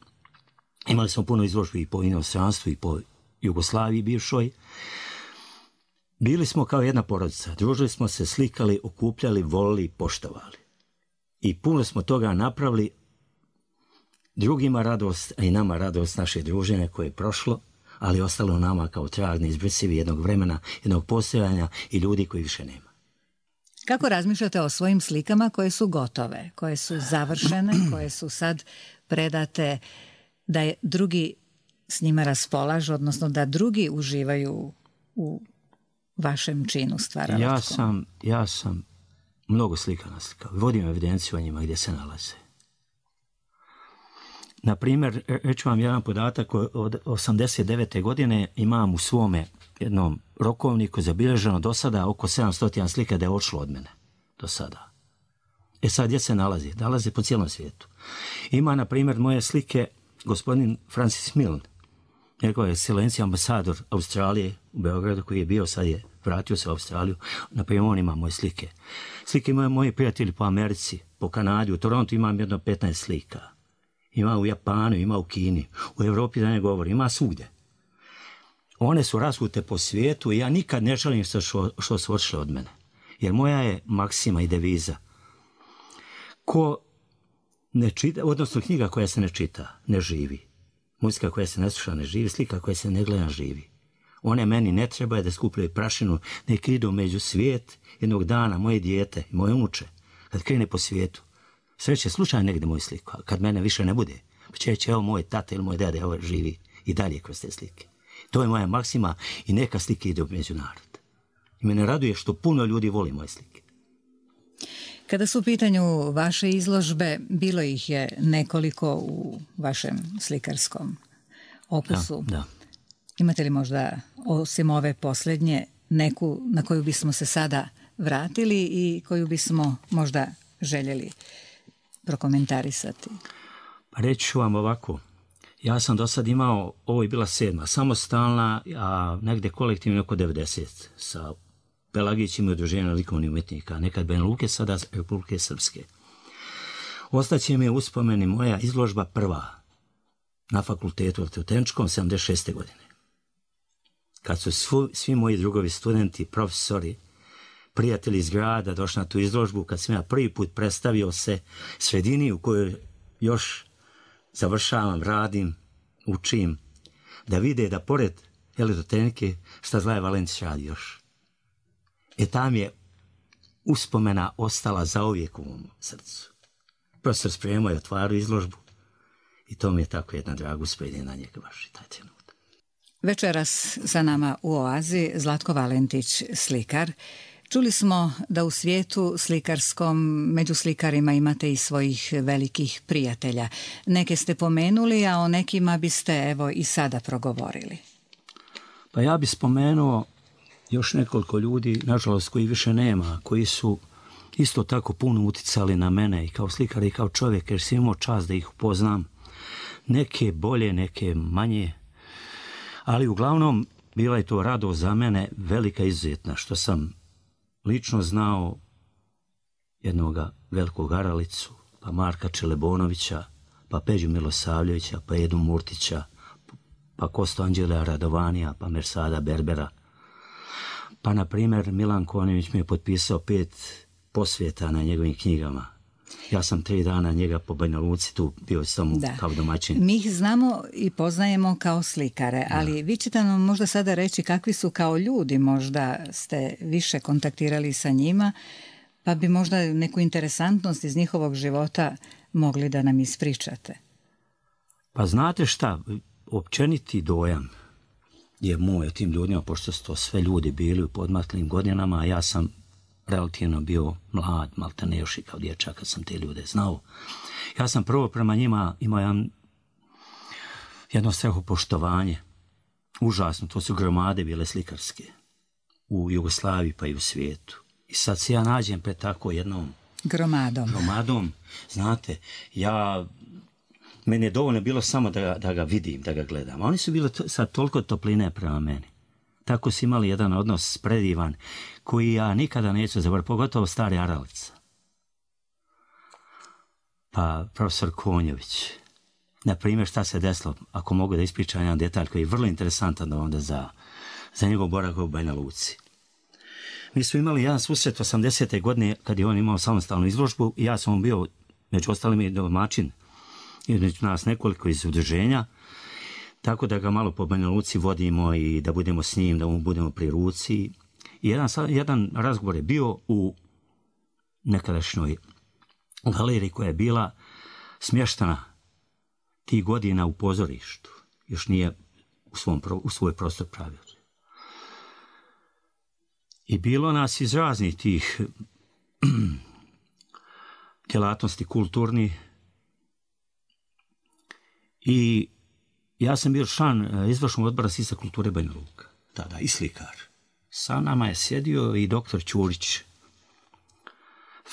Imali smo puno izložbi i po inostranstvu i po Jugoslaviji bivšoj. Bili smo kao jedna porodica. Družili smo se, slikali, okupljali, volili, poštovali. I puno smo toga napravili. Drugima radost, a i nama radost naše druženje koje je prošlo, ali ostalo nama kao trag neizbrisivi jednog vremena, jednog postojanja i ljudi koji više nema. Kako razmišljate o svojim slikama koje su gotove, koje su završene, koje su sad predate da je drugi s njima raspolažu, odnosno da drugi uživaju u vašem činu stvaralačkom? Ja sam, ja sam mnogo slika naslikao. Vodim evidenciju o njima gdje se nalaze. Na primjer, reću vam jedan podatak, od osamdeset devete. godine imam u svome jednom rokovniku zabilježeno do sada oko sedamsto slika da je odšlo od mene. Do sada. E sad, gdje se nalazi? Nalazi po cijelom svijetu. Ima, na primjer, moje slike gospodin Francis Milne, njegova ekscelencija ambasador Australije u Beogradu, koji je bio, sad je vratio se u Australiju. Na primjer, on ima moje slike. Slike imaju moji prijatelji po Americi, po Kanadi, u Torontu imam jedno petnaest slika. Ima u Japanu, ima u Kini, u Evropi da ne govori, ima svugdje. One su rasute po svijetu i ja nikad ne želim što, što su odšle od mene. Jer moja je maksima i deviza. Ko ne čita, odnosno knjiga koja se ne čita, ne živi. Muzika koja se ne sluša ne živi, slika koja se ne gleda živi. One meni ne treba da skupljaju prašinu, nek idu među svijet jednog dana, moje dijete, moje unuče, kad krene po svijetu. Sreće slučajno negdje moju sliku, a kad mene više ne bude, pa će reći, evo moj tata ili moj dede, evo živi i dalje kroz te slike. To je moja maksima i neka slike ide u međunarod. I mene raduje što puno ljudi voli moje slike. Kada su u pitanju vaše izložbe, bilo ih je nekoliko u vašem slikarskom opusu. Da, da. Imate li možda, osim ove posljednje, neku na koju bismo se sada vratili i koju bismo možda željeli prokomentarisati? Pa reći ću vam ovako. Ja sam do sad imao, ovo je bila sedma, samostalna, a negdje kolektivno oko devedeset sa Pelagić ima udruženje likovnih umjetnika, nekad Banja Luke, sada Republike Srpske. Ostaće mi uspomeni moja izložba prva na fakultetu arhitektoničkom sedamdeset šeste godine. Kad su svu, svi moji drugovi studenti, profesori, prijatelji iz grada došli na tu izložbu, kad sam ja prvi put predstavio se sredini u kojoj još završavam, radim, učim, da vide da pored elektrotehnike šta Zlaje Valentić radi još. E tam je uspomena ostala zauvijek u mom srcu. Profesor spremao je otvaru izložbu i to mi je tako jedna draga usprednja na njega baš i taj trenutak. Večeras sa nama u Oazi Zlatko Valentić, slikar. Čuli smo da u svijetu slikarskom među slikarima imate i svojih velikih prijatelja. Neke ste pomenuli, a o nekima biste evo i sada progovorili. Pa ja bih spomenuo još nekoliko ljudi, nažalost koji više nema, koji su isto tako puno uticali na mene i kao slikar i kao čovjek, jer sam imao čast da ih upoznam. Neke bolje, neke manje, ali uglavnom bila je to radost za mene velika izuzetna, što sam lično znao jednoga velikog Aralicu, pa Marka Čelebonovića, pa Peđu Milosavljevića, pa Edu Murtića, pa Kosto Anđela Radovanija, pa Mersada Berbera. Pa, na primjer, Milan Konjević mi je potpisao pet posvjeta na njegovim knjigama. Ja sam tri dana njega po Banja Luci tu bio samo kao domaćin. Mi ih znamo i poznajemo kao slikare, ali da. Vi ćete nam možda sada reći kakvi su kao ljudi, možda ste više kontaktirali sa njima, pa bi možda neku interesantnost iz njihovog života mogli da nam ispričate. Pa znate šta, općeniti dojam je moj o tim ljudima, pošto su to sve ljudi bili u podmaklim godinama, a ja sam relativno bio mlad, maltene još i kao dječak kad sam te ljude znao. Ja sam prvo prema njima imao jedan, jedno strahopoštovanje. Užasno, to su gromade bile slikarske u Jugoslaviji pa i u svijetu. I sad se ja nađem pred tako jednom gromadom. gromadom. Znate, ja, meni je dovoljno bilo samo da, da ga vidim, da ga gledam. A oni su bili to, sad toliko topline prema meni. Tako su imali jedan odnos predivan koji ja nikada neću zaboraviti, pogotovo stari Aralica. Pa profesor Konjović. Na primjer, šta se desilo, ako mogu da ispričam jedan detalj koji je vrlo interesantan onda za, za njegov boravak u Banja Luci. Mi smo imali jedan susret osamdesete godine kad je on imao samostalnu izložbu i ja sam bio, među ostalim i domaćin, između nas nekoliko iz udruženja, tako da ga malo po Banja Luci vodimo i da budemo s njim, da mu budemo pri ruci. I jedan, jedan razgovor je bio u nekadašnjoj galeriji koja je bila smještena tih godina u pozorištu. Još nije u, svom, u svoj prostor pravio. I bilo nas iz raznih tih djelatnosti kulturni i ja sam bio član izvršnog odbora Sisak kulture Banja Luka, tada i slikar. Sa nama je sjedio i doktor Ćurić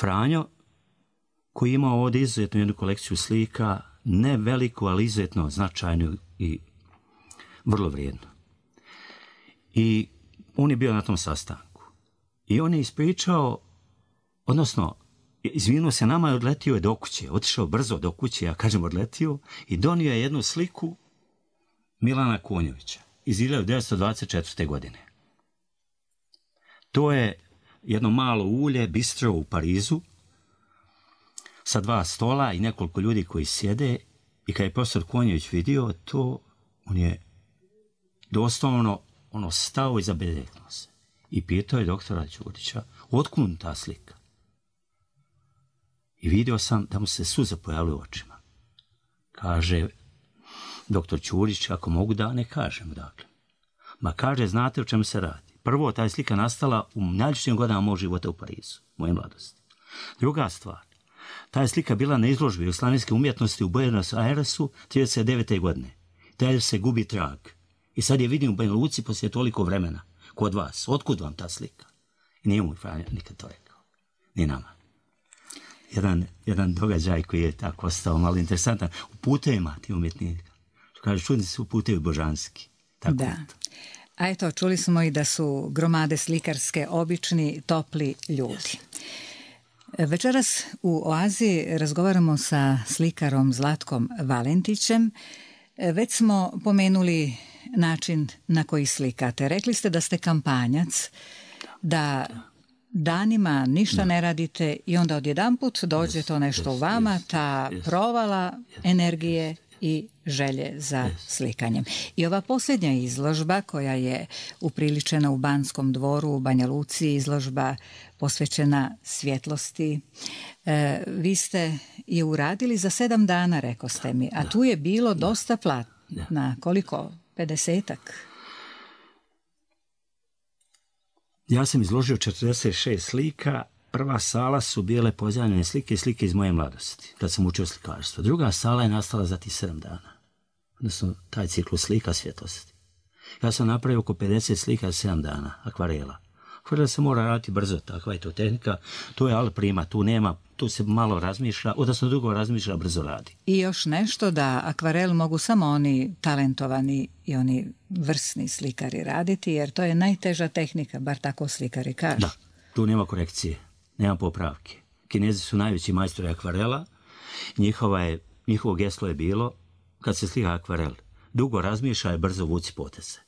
Franjo, koji je imao ovdje izuzetnu jednu kolekciju slika, ne veliku, ali izuzetno značajnu i vrlo vrijednu. I on je bio na tom sastanku. I on je ispričao, odnosno, izvinuo se nama i odletio je do kuće. Otišao brzo do kuće, ja kažem odletio, i donio je jednu sliku Milana Konjovića iz hiljadu devetsto dvadeset četvrte. godine. To je jedno malo ulje, bistro u Parizu, sa dva stola i nekoliko ljudi koji sjede, i kad je profesor Konjović vidio to, on je doslovno ono stao i zabedeknuo se. I pitao je doktora Ćurića, otkud ta slika? I vidio sam da mu se suze pojavili u očima. Kaže doktor Ćurić, ako mogu da ne kažem, dakle. Ma kaže, znate o čemu se radi. Prvo, ta je slika nastala u najljepšim godinama mog života u Parizu, moje mladosti. Druga stvar, ta je slika bila na izložbi jugoslavijske umjetnosti u Buenos Airesu trideset devete. godine. Taj se gubi trag. I sad je vidim u Banja Luci poslije toliko vremena. Kod vas. Otkud vam ta slika? I nije mu Franja nikad to rekao. Ni nama. Jedan, jedan događaj koji je tako ostao malo interesantan. U putevima ti umjetnika. Kaže, čudni su putevi božanski. Tako da. je. A eto, čuli smo i da su gromade slikarske obični, topli ljudi. Večeras u Oazi razgovaramo sa slikarom Zlatkom Valentićem. Već smo pomenuli način na koji slikate. Rekli ste da ste kampanjac, da danima ništa ne radite i onda odjedanput dođe to nešto u vama, ta provala energije i želje za slikanjem. I ova posljednja izložba koja je upriličena u Banskom dvoru u Banja Luci, izložba posvećena svjetlosti, e, vi ste je uradili za sedam dana, rekao ste mi, a tu je bilo dosta platna, koliko? pedesetak? Ja sam izložio četrdeset šest slika. Prva sala su bile pozajmljene slike i slike iz moje mladosti, kad sam učio slikarstvo. Druga sala je nastala za tih sedam dana. Odnosno, taj ciklus slika svjetlosti. Ja sam napravio oko pedeset slika za sedam dana, akvarela. Akvarela se mora raditi brzo, takva je to tehnika. To je al prima, tu nema, tu se malo razmišlja, odnosno dugo razmišlja, brzo radi. I još nešto, da akvarel mogu samo oni talentovani i oni vrsni slikari raditi, jer to je najteža tehnika, bar tako slikari kažu. Da, tu nema korekcije. Nema popravke. Kinezi su najveći majstori akvarela. Njihova je, njihovo geslo je bilo, kad se slika akvarel, dugo razmišlja i brzo vuci poteze.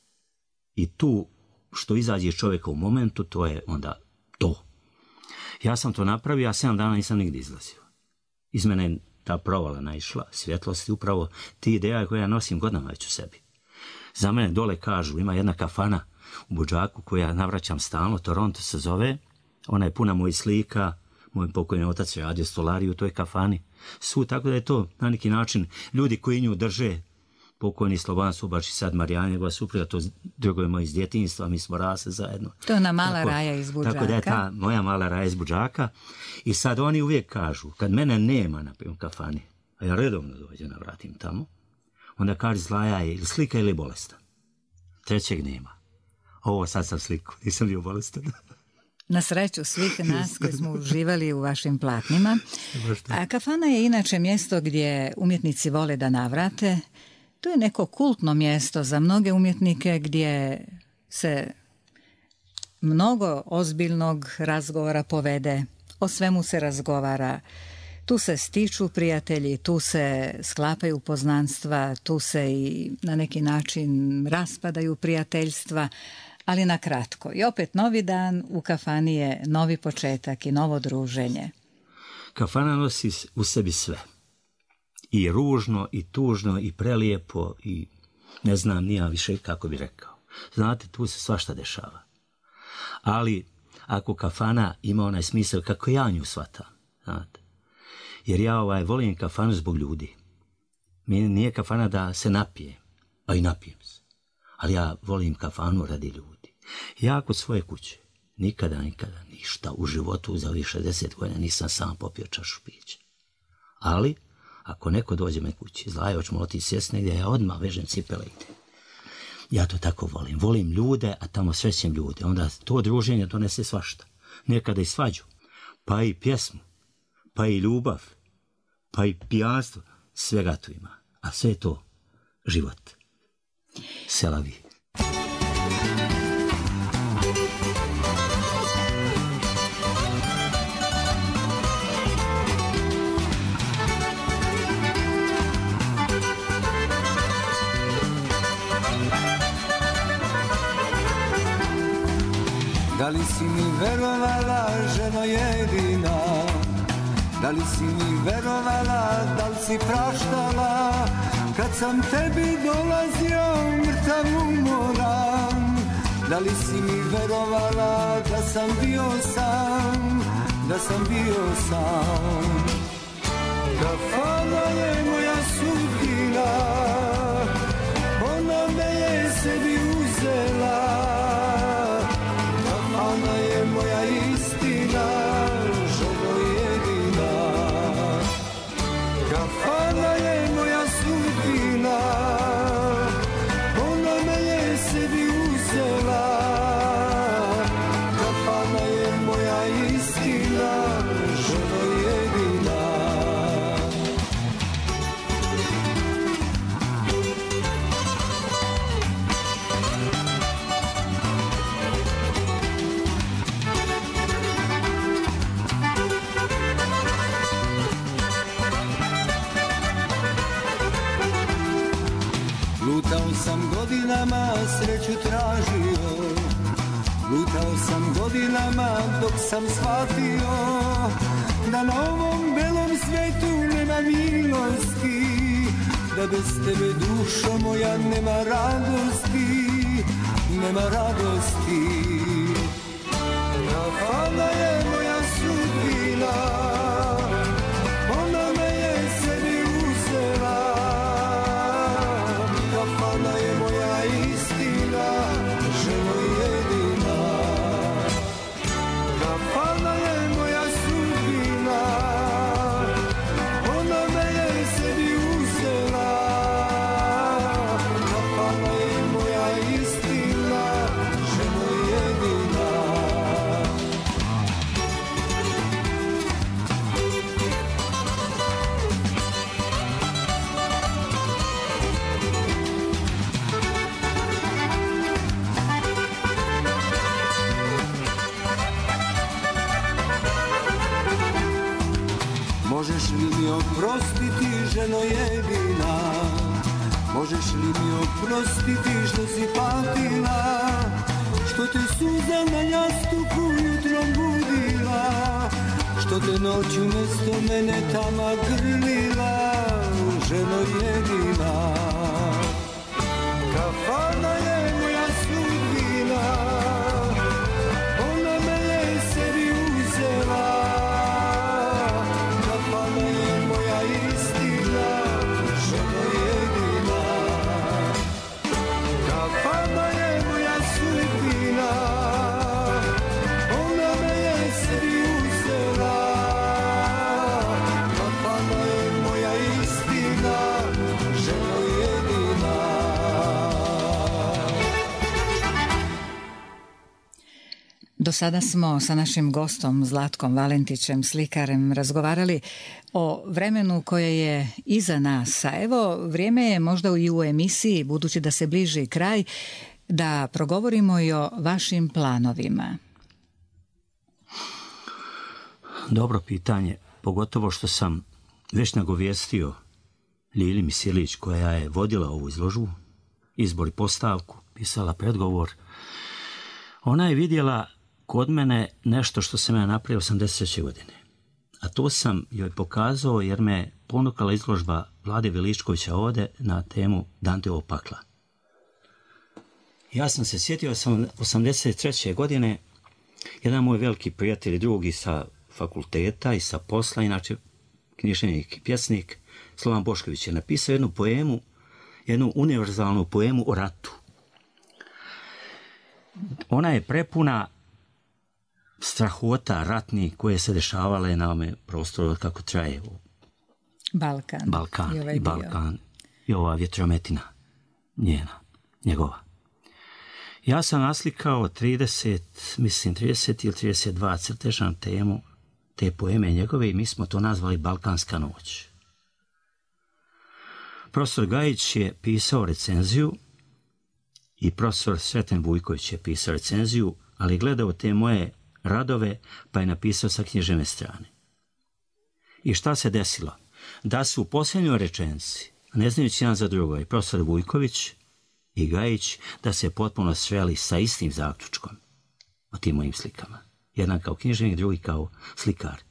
I tu, što izađe čovjeka u momentu, to je onda to. Ja sam to napravio, a sedam dana nisam nigdje izlazio. Iz mene je ta provala naišla, svjetlosti, upravo ti ideja koje ja nosim godinama već u sebi. Za mene dole kažu, ima jedna kafana u Budžaku koju ja navraćam stalno, Toronto se zove. Ona je puna mojih slika, moj pokojni otac je radio stolariju u toj kafani. Su, tako da je to na neki način ljudi koji nju drže, pokojni Slobodan Subač i sad Marijana, njegova supruga, to drugo moj iz djetinjstva, mi smo rasli zajedno. To je ona mala tako, raja iz Budžaka. Tako da je ta moja mala raja iz Budžaka. I sad oni uvijek kažu, kad mene nema na kafani, a ja redovno dođem, navratim tamo, onda kaže Zlaja je ili slika ili bolestan. Trećeg nema. Ovo sad sam sliku, nisam bio bolestan. Na sreću svih nas koji smo uživali u vašim platnima. A kafana je inače mjesto gdje umjetnici vole da navrate. To je neko kultno mjesto za mnoge umjetnike gdje se mnogo ozbiljnog razgovora povede, o svemu se razgovara. Tu se stiču prijatelji, tu se sklapaju poznanstva, tu se i na neki način raspadaju prijateljstva, ali na kratko. I opet novi dan u kafani je novi početak i novo druženje. Kafana nosi u sebi sve. I ružno, i tužno, i prelijepo, i ne znam nija više kako bi rekao. Znate, tu se svašta dešava. Ali ako kafana ima onaj smisao kako ja nju shvatam, znate. Jer ja ovaj, volim kafanu zbog ljudi. Meni nije kafana da se napije, a i napijem se. Ali ja volim kafanu radi ljudi. Ja kod svoje kuće nikada, nikada ništa u životu za ovih šezdeset godina nisam sam popio čašu pića. Ali, ako neko dođe me kući, Zlaja, hoćemo otići sjest negdje, ja odmah vežem cipele i idem. Ja to tako volim. Volim ljude, a tamo srećem ljude. Onda to druženje donese svašta. Nekada i svađu, pa i pjesmu, pa i ljubav, pa i pijanstvo. Svega tu ima. A sve je to život. Selavi. Da li si mi verovala, ženo jedina? Da li si mi verovala, da li si praštala? Kad sam tebi dolazio mrtav umoran. Da li si mi verovala, da sam bio sam, da sam bio sam? Kafana je moja sudbina, ona me je sebi uzela. Ona je moja istina, ženo jedina. Kafana je moja sudbina, ona me je sebi uzela. Kafana je moja istina, ženo jedina. sam godinama sreću tražio, lutao sam godinama dok sam shvatio da na ovom belom svetu nema milosti, da bez tebe dušo moja nema radosti, nema radosti. Kafana je moja sudbina, ona me je sebi uzela. Kafana je moja istina, ženo jedina. Kafana je moja sudbina, ona me je sebi uzela. Kafana je moja istina, ženo jedina. Možeš li mi oprostiti, ženo jedina? Možeš li mi oprostiti što si patila, što te suza na jastuku jutrom budila, što te noću mesto mene tama grlila, ženo jedina? Kafana je moja sudbina, ona me je sebi uzela. Kafana je moja istina, ženo jedina. Kafana je moja sudbina, ona me je sebi uzela. Kafana je moja istina, ženo jedina. Do sada smo sa našim gostom Zlatkom Valentićem, slikarem, razgovarali o vremenu koje je iza nas. A evo, vrijeme je možda i u emisiji, budući da se bliži kraj, da progovorimo i o vašim planovima. Dobro pitanje, pogotovo što sam već nagovijestio Ljili Misilić, koja je vodila ovu izložbu, izbor i postavku, pisala predgovor. Ona je vidjela kod mene nešto što sam ja napravio osamdeset treće godine. A to sam joj pokazao jer me ponukala izložba Vlade Veličkovića ovde na temu Danteovog pakla. Ja sam se sjetio sam osamdeset treće godine, jedan moj veliki prijatelj i drugi sa fakulteta i sa posla, inače književnik i pjesnik, Slovan Bošković je napisao jednu poemu, jednu univerzalnu poemu o ratu. Ona je prepuna strahota ratnih koje se dešavale na ovome prostoru kako traje Balkan. Balkan i, ovaj i Balkan i ova vjetrometina njena, njegova. Ja sam naslikao trideset, mislim trideset ili trideset dva crteža na temu te poeme njegove i mi smo to nazvali Balkanska noć. Profesor Gajić je pisao recenziju i profesor Sreten Vujković je pisao recenziju, ali gledao te moje radove pa je napisao sa književne strane. I šta se desilo? Da su u posljednjoj rečenici, ne znajući jedan za drugo, i profesor Vujković i Gajić, da se potpuno sveli sa istim zaključkom o tim mojim slikama. Jedan kao književnik, drugi kao slikar.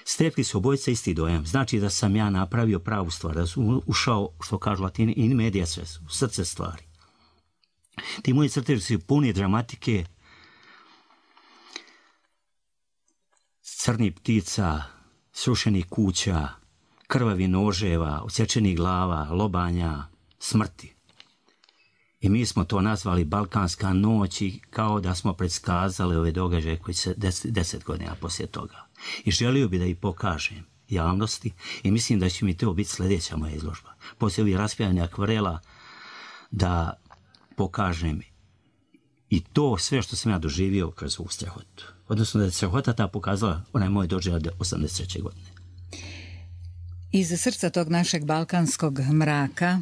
Stekli su obojica isti dojam. Znači da sam ja napravio pravu stvar, da sam ušao, što kažu Latini, in medias res, u srce stvari. Ti moji crteži su puni dramatike, crnih ptica, srušenih kuća, krvavi noževa, odsječenih glava, lobanja, smrti. I mi smo to nazvali Balkanska noć i kao da smo predskazali ove događaje koji se deset, deset godina poslije toga. I želio bi da ih pokažem javnosti i mislim da će mi to biti sljedeća moja izložba. Poslije ovih raspjavanja akvarela da pokažem i to sve što sam ja doživio kroz ovu strahotu. Odnosno da je strahota ta pokazala onaj moj doživljaj osamdeset treće godine. Iz srca tog našeg balkanskog mraka,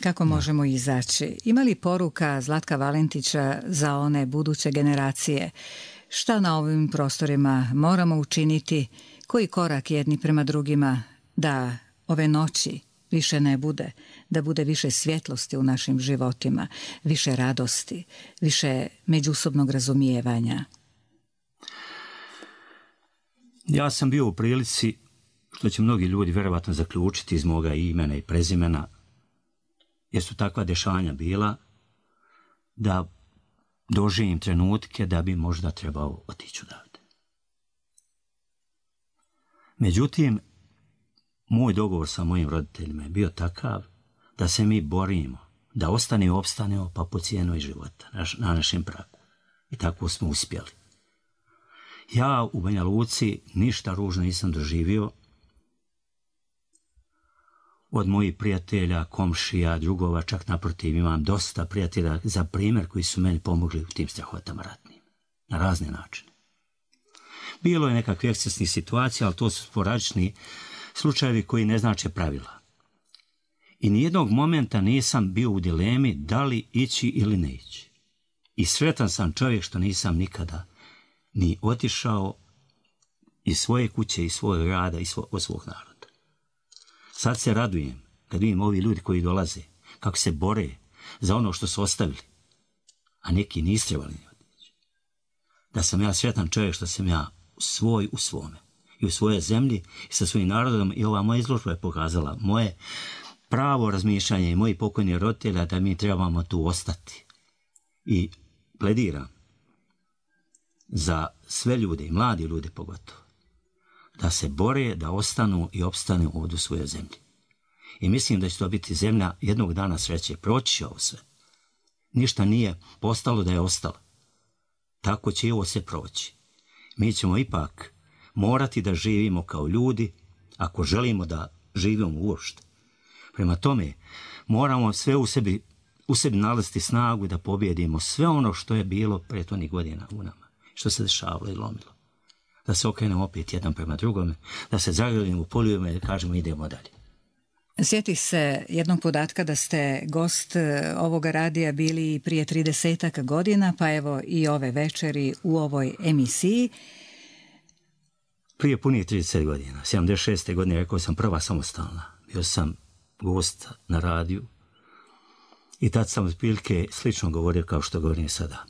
kako možemo izaći? Ima li poruka Zlatka Valentića za one buduće generacije? Šta na ovim prostorima moramo učiniti? Koji korak jedni prema drugima da ove noći više ne bude, da bude više svjetlosti u našim životima, više radosti, više međusobnog razumijevanja? Ja sam bio u prilici, što će mnogi ljudi vjerovatno zaključiti iz moga imena i prezimena, jer su takva dešanja bila, da doživim trenutke da bi možda trebao otići odavde. Međutim, moj dogovor sa mojim roditeljima je bio takav da se mi borimo, da ostane i opstanemo pa po cijenu i života na našem pragu. I tako smo uspjeli. Ja u Banja Luci ništa ružno nisam doživio od mojih prijatelja, komšija, drugova, čak naprotiv imam dosta prijatelja za primjer koji su meni pomogli u tim strahotama ratnim, na razne načine. Bilo je nekakve ekscesnih situacija, ali to su sporadični slučajevi koji ne znače pravila. I nijednog momenta nisam bio u dilemi da li ići ili ne ići. I sretan sam čovjek što nisam nikada ni otišao iz svoje kuće, iz svojeg rada, iz svog, od svog naroda. Sad se radujem kad vidim ovi ljudi koji dolaze, kako se bore za ono što su ostavili, a neki nisu trebali ni otići. Da sam ja sretan čovjek što sam ja svoj u svome i u svojoj zemlji i sa svojim narodom, i ova moja izložba je pokazala moje pravo razmišljanje i moji pokojni roditelja da mi trebamo tu ostati. I plediram za sve ljude i mladi ljude pogotovo, da se bore, da ostanu i opstanu ovdje u svojoj zemlji. I mislim da će to biti zemlja jednog dana sreće. Proći će ovo sve. Ništa nije postalo da je ostalo. Tako će i ovo sve proći. Mi ćemo ipak morati da živimo kao ljudi, ako želimo da živimo uopšte. Prema tome, moramo sve u sebi, u sebi nalaziti snagu da pobjedimo sve ono što je bilo prethodnih godina u nama, što se dešavalo i lomilo. Da se okrenemo opet jedan prema drugome, da se zagrlimo u poljubima i kažemo idemo dalje. Sjeti se jednog podatka da ste gost ovoga radija bili prije tridesetak godina, pa evo i ove večeri u ovoj emisiji. Prije punih trideset godina, sedamdeset šeste godine, rekao sam prva samostalna. Bio sam gost na radiju i tad sam otprilike slično govorio kao što govorim sada.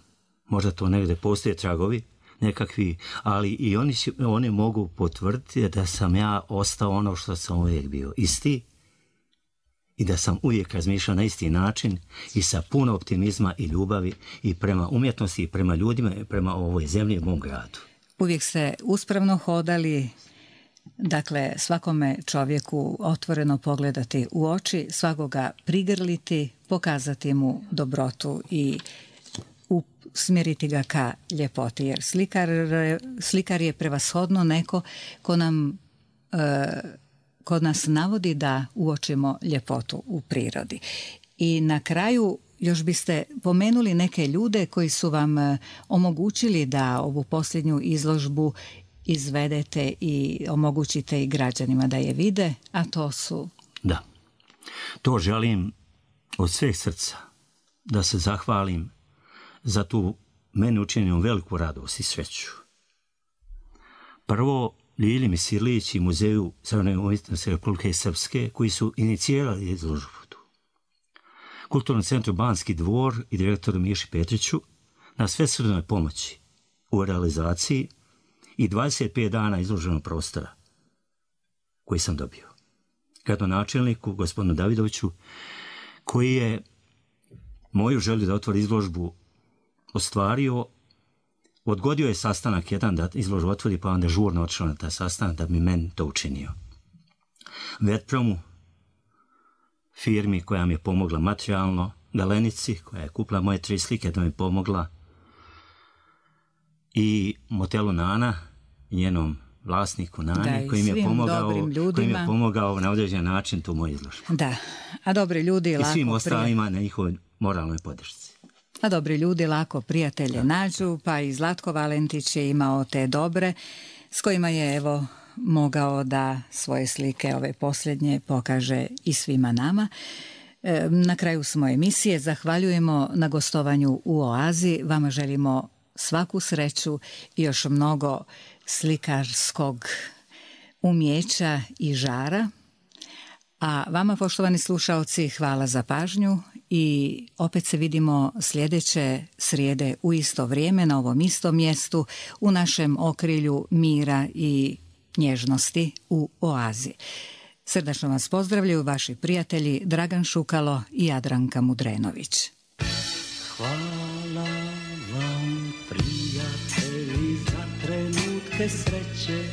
Možda to negdje postoje tragovi, nekakvi, ali i oni, oni mogu potvrditi da sam ja ostao ono što sam uvijek bio, isti, i da sam uvijek razmišljao na isti način i sa puno optimizma i ljubavi i prema umjetnosti i prema ljudima i prema ovoj zemlji i mom gradu. Uvijek ste uspravno hodali, dakle svakome čovjeku otvoreno pogledati u oči, svakoga prigrliti, pokazati mu dobrotu i usmjeriti ga ka ljepoti, jer slikar, slikar je prevashodno neko ko nam e, kod nas navodi da uočimo ljepotu u prirodi. I na kraju još biste pomenuli neke ljude koji su vam omogućili da ovu posljednju izložbu izvedete i omogućite i građanima da je vide, a to su... Da, to želim od sveg srca da se zahvalim za tu meni učinjenu veliku radost i sreću. Prvo, Ljilji Misirlić i Muzeju savremene umjetnosti Republike Srpske, koji su inicijirali izložbu. Kulturnom centru Banski dvor i direktoru Miši Petriću na svesrdnoj pomoći u realizaciji i dvadeset pet dana izloženog prostora koji sam dobio. Gradonačelniku, gospodinu Davidoviću, koji je moju želju da otvori izložbu ostvario, odgodio je sastanak jedan da izložbu otvori, pa onda žurno otišao na taj sastanak da bi meni to učinio. Vetpromu, firmi koja mi je pomogla materijalno, Galenici, koja je kupila moje tri slike da mi je pomogla, i motelu Nana, njenom vlasniku Nani, koji mi je pomogao, koji mi je pomogao na određen način tu moju izložbu. Da, a dobri ljudi I lako... I svim ostalima na njihovoj moralnoj podršci. A dobri ljudi lako prijatelje nađu, pa i Zlatko Valentić je imao te dobre, s kojima je evo mogao da svoje slike, ove posljednje, pokaže i svima nama. E, na kraju smo emisije, zahvaljujemo na gostovanju u Oazi, vama želimo svaku sreću i još mnogo slikarskog umjeća i žara, A vama, poštovani slušaoci, hvala za pažnju i opet se vidimo sljedeće srijede u isto vrijeme na ovom istom mjestu u našem okrilju mira i nježnosti u oazi. Srdačno vas pozdravljaju vaši prijatelji Dragan Šukalo i Jadranka Mudrenović. Hvala vam, prijatelji, za trenutke sreće,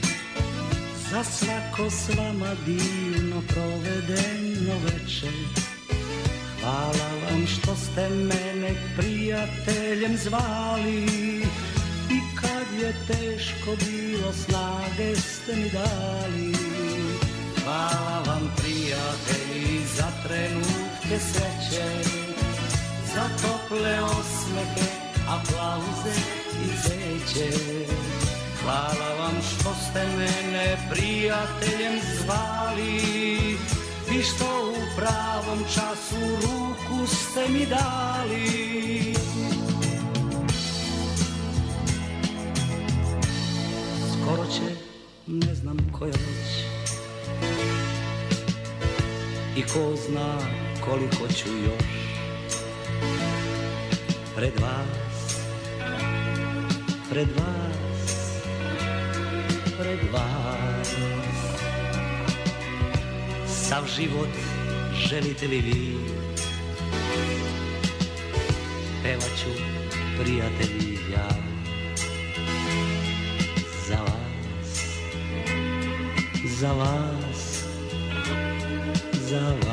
za svako s vama divno provedeno večer. Hvala vam što ste mene prijateljem zvali i kad je teško bilo snage ste mi dali. Hvala vam, prijatelji, za trenutke sreće, za tople osmehe, aplauze i zeće. Hvala vam što ste mene prijateljem zvali i što u pravom času ruku ste mi dali. Skoro će, ne znam koja noć, i ko zna koliko ću još pred vas, pred vas, pred vas. Sav život želite li vi, pevat ću, prijatelji, ja za vas, za vas, za vas.